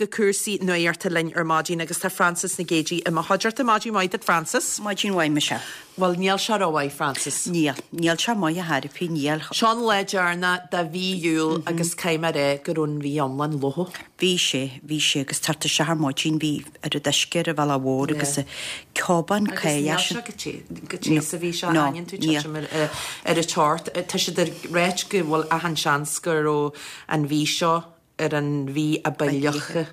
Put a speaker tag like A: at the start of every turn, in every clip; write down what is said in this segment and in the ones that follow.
A: Go cúrsaí nuachta linn ar maidin agus tá Frances Nic Géadaigh i mo chuideachta. Maidin mhaith duit Frances.
B: Maidin mhaith Michelle.
A: Bhuel níl sé rómhaith Frances.
B: Níl. Níl sé maith ar chor ar bith, níl.
A: Seo an lá deireanach de mhí Iúil agus caithfidh mé a rá go raibh an mhí iomlán fliuch.
B: Bhí sé, bhí sé agus ag teacht isteach ar maidin bhí oiread uisce ar an bhealach mhór agus an ceobán
A: Agus níl sé go te, go te sa mhí seo, aithníonn tú titim ar an teocht. Tá siad ag ráit go bhfuil achan seans go raibh an mhí seo ar an mhí a ba fhliucha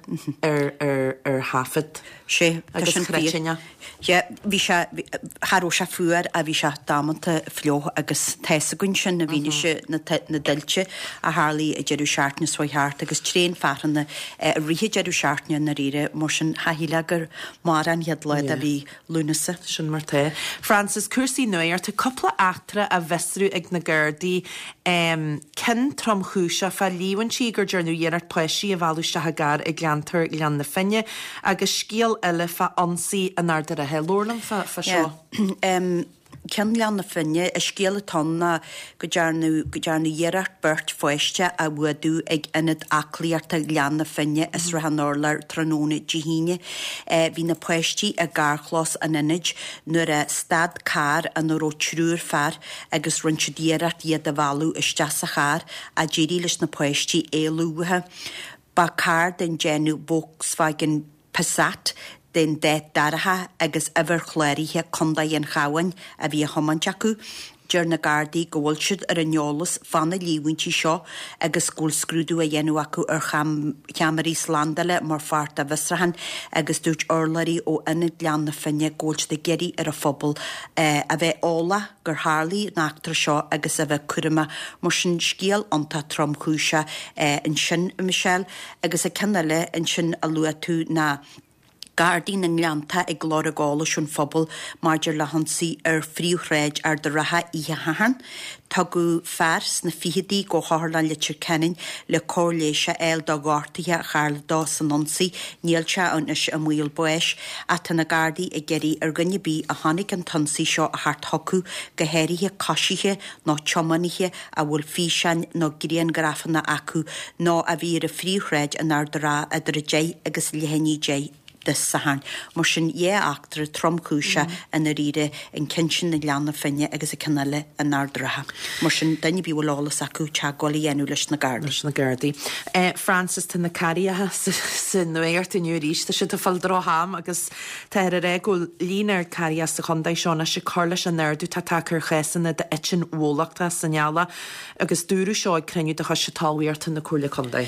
A: ar thaifead.
B: Sé, tá
A: Agus
B: sin fíor.
A: chruitinne.
B: Yeah, bhí sé, cha raibh sé fuar ach bhí sé damanta fliuch agus tá's againn sin i bhfianaise na na dtuilte a tharlaigh an deireadh seachtaine seo thart agus tréan fearthanna i rith an deireadh seachtaine i ndáiríre, mar sin cha shílfeá gur amárach an chéad lá de mhí Lúnasa.
A: Sin mar tá. Frances, cúrsaí nuachta, cúpla eachtra á bhfiosrú ag na Gardaí, ceann tromchúiseach fá líomhaintí gur dearnadh iarracht páistí a mhealladh isteach i gcarr i gceantar Ghleann na Finne agus scéal eile fá ionsaí in Ard a' Rátha. Labhair liom fá seo.
B: Yeah. Ceann Ghleann na Finne, an scéal atá ann ná go ndearnadh go ndearnadh iarracht beirt pháiste a fhuadú ag Ionad Aclaíochta Ghleann na Finne i Srath an Urláir tráthnóna Dé hAoine. Bhí na páistí i gcarrchlós an ionaid nuair a stad carr ina raibh triúr fear agus rinne siad iarracht iad a mhealladh isteach sa charr ach d'éirigh leis na páistí éalú uathu. Ba carr den déanamh Volkswagen Passat den dath dorcha agus uimhir chláraithe Contae an Chabháin a bhí á thiomáint acu. Deir na Gardaí go bhfuil siad ar an eolas fá na líomhaintí seo agus go bhfuil scrúdú á dhéanamh acu ar cheamaraí slándála mar pháirt dá bhfiosrúchán agus dúirt urlabhraí ó Ionad Ghleann na Finne go bhfuil siad ag iarraidh ar an phobal a bheith eolach gur tharlaigh an eachtra seo agus a bheith cúramach. Mar sin scéal iontach tromchúiseach ansin, a Michelle. Agus an ceann eile ansin a luaigh tú ná Gardaí na nGleannta ag lorg eolais ón phobal maidir le hionsaí ar phríomhshráid Ard a' Rátha oíche Shathairn. Tugadh fear sna ficheadaí go hOtharlann Leitir Ceanainn le cóir leighis a fháil do ghortuithe a tharla dó san ionsaí. Níl sé anois i mbaol báis ach tá na Gardaí ag iarraidh ar dhuine ar bith a chonaic an t-ionsaí seo a theacht chucu, go háirithe coisithe nó tiománaithe a bhfuil físeáin nó grianghrafanna acu nó a bhí ar an phríomhshráid in Ard a' Rátha idir 10 agus leath i ndiaidh 10 Dé Sathairn. Mar sin, dhá eachtra tromchúiseach i ndáiríre, an ceann sin i nGleann na Finne agus an ceann eile in Ard a' Rátha. Mar sin, duine ar bith a bhfuil eolas acu, teagmháil a dhéanamh leis na Gardaí.
A: Leis na Gardaí. Frances, tá na carraigheacha sa nuacht inniu arís. Tá siad ag fáil droch-am agus Táthar ag rá go bhfuil líon ard carraigheacha sa chontae seo anois ag cur leis an ardú atá tagtha ar chásanna d'eitinn bhólachtach san eallach agus dúradh seo ag cruinniú de Choiste Talmhaíochta na Comhairle Contae.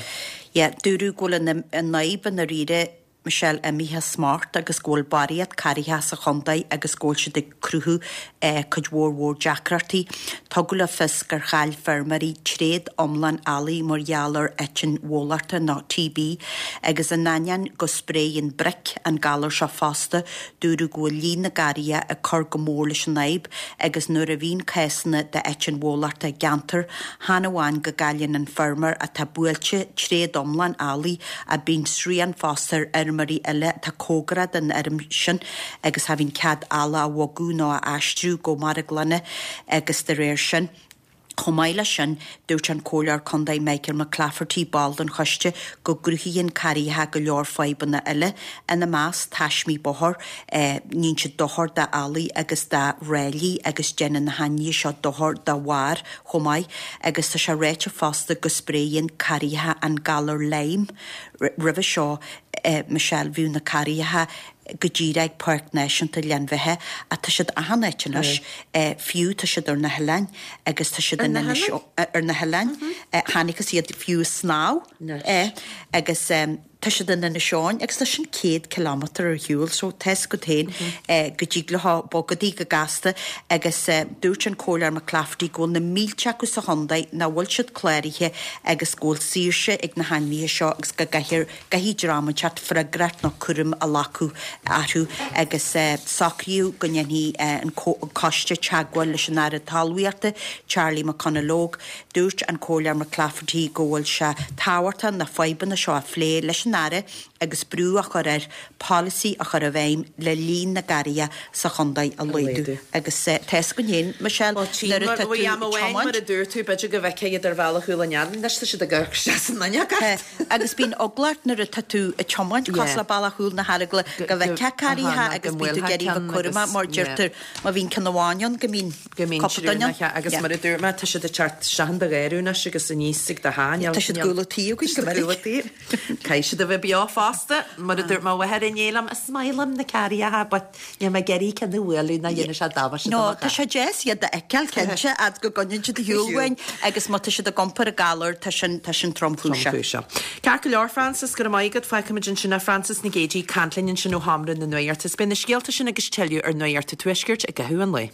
B: Yeah, dúradh go bhfuil an fhadhb i ndáiríre, Michelle, imithe as smacht agus go bhfuil barraíocht carraigeacha sa chontae agus go bhfuil siad ag cruthú cuid mhór mhór deacrachtaí. Tugadh le fios gur chaill feirmeoirí tréad iomlán eallaigh mar gheall ar eitinn bhólachtach nó TB agus in ainneoin go spréigheann bric an galar seo fosta, dúradh go bhfuil líon na gcarraigeacha ag cur go mór leis an fhadhb agus nuair a bhíonn cásanna d'eitinn bhólachtach i gceantar, chan amháin go gcailleann an feirmeoir atá buailte tréad iomlán eallaigh ach bíonn srian fosta ar fheirmeoirí eile atá cóngarach don fheirm sin agus cha bhíonn cead eallach a bhogadh nó a aistriú go marglanna agus de réir sin. Chomh maith leis sin, dúirt an Comhairleoir Contae Michael McClafferty, ball den choiste, go gcruthaíonn carraigeacha go leor fadhbanna eile, ina measc, taismí bóthair, níonn siad dochar d'eallaigh agus do ráillí agus déanann na hainmhithe seo dochar do bharr chomh maith agus tá sé ráite fosta go spréigheann carraigeacha an galar Lyme. Roimhe seo, Michelle, bhíodh na carraigeacha go díreach ag Páirc Náisiúnta Ghleann Bheatha ach tá siad achan áit anois, fiú tá siad ar na hoileáin agus tá siad in Inis ar na hoileáin, chonacthas iad fiú ag snámh agus tá siad in Inis Eoghain agus tá sin 100 kilometre ar shiúl so tá's agat féin go dtig leo bogadh go gasta agus dúirt an Comhairleoir McClafferty go bhfuil na mílte acu sa chontae nach bhfuil siad cláraithe agus go bhfuil saoirse ag na hainmhithe seo agus go gcaithfear Caithfidh dream inteacht freagracht nó cúram a ghlacadh orthu agus socraíodh go ndéanfaidh an coiste teagmháil leis an Aire Talmhaíochta, Charlie McConalogue. Dúirt an Comhairleoir McClafferty go bhfuil sé tábhachtach na fadhbanna seo a phlé leis an. an Aire agus brú a chur air polasaí a chur i bhfeidhm le líon na gcarraithe sa chontae a laghdú. Agus tá fhios againn féin, Michelle, nuair atá tú ag tiomáint.
A: Mar a dúirt tú, b'fhéidir go bhfeicfeá iad ar Bhealach Chúil an Eanaigh, anois tá siad ag amharc isteach san fhuinneog ort.
B: Agus bíonn eagla ort nuair atá tú ag tiomáint cosúil le Bealach Chúil na hEaragla go bhfeicfeá carraithe agus bíonn tú ag iarraidh a bheith cúramach mar deirtear má bhíonn ceann amháin ann go mbíonn
A: go mbíonn cúpla duine ann. Agus mar a dúirt mé, tá siad ag teacht isteach in do gharradh anois agus aníos ag do theach.
B: Tá siad ag gabháil an tí againn go minic.
A: Caithfidh siad a bheith beo fosta. Mar a dúirt mo mháthair inné liom, is maith liom na carraithe but níl mé ag iarraidh ceann a bhualadh ná dhéanfaidh sé damáiste do
B: mo charr. Tá sé deas iad a fheiceáil, cinnte, fhad go gcoinníonn siad ar shiúl uainn agus má tá siad ag iompar an galar, tá sin, tá sin tromchúiseach.
A: Tromchúiseach. Ceart go leor, Frances, go raibh maith agat. Fágfaimid ansin é. Frances Nic Géadaigh ag caint linn ansin ó Sheomra na Nuachta. Is beidh na scéalta sin agus tuilleadh ar Nuacht an Tuaiscirt i gcaitheamh an lae.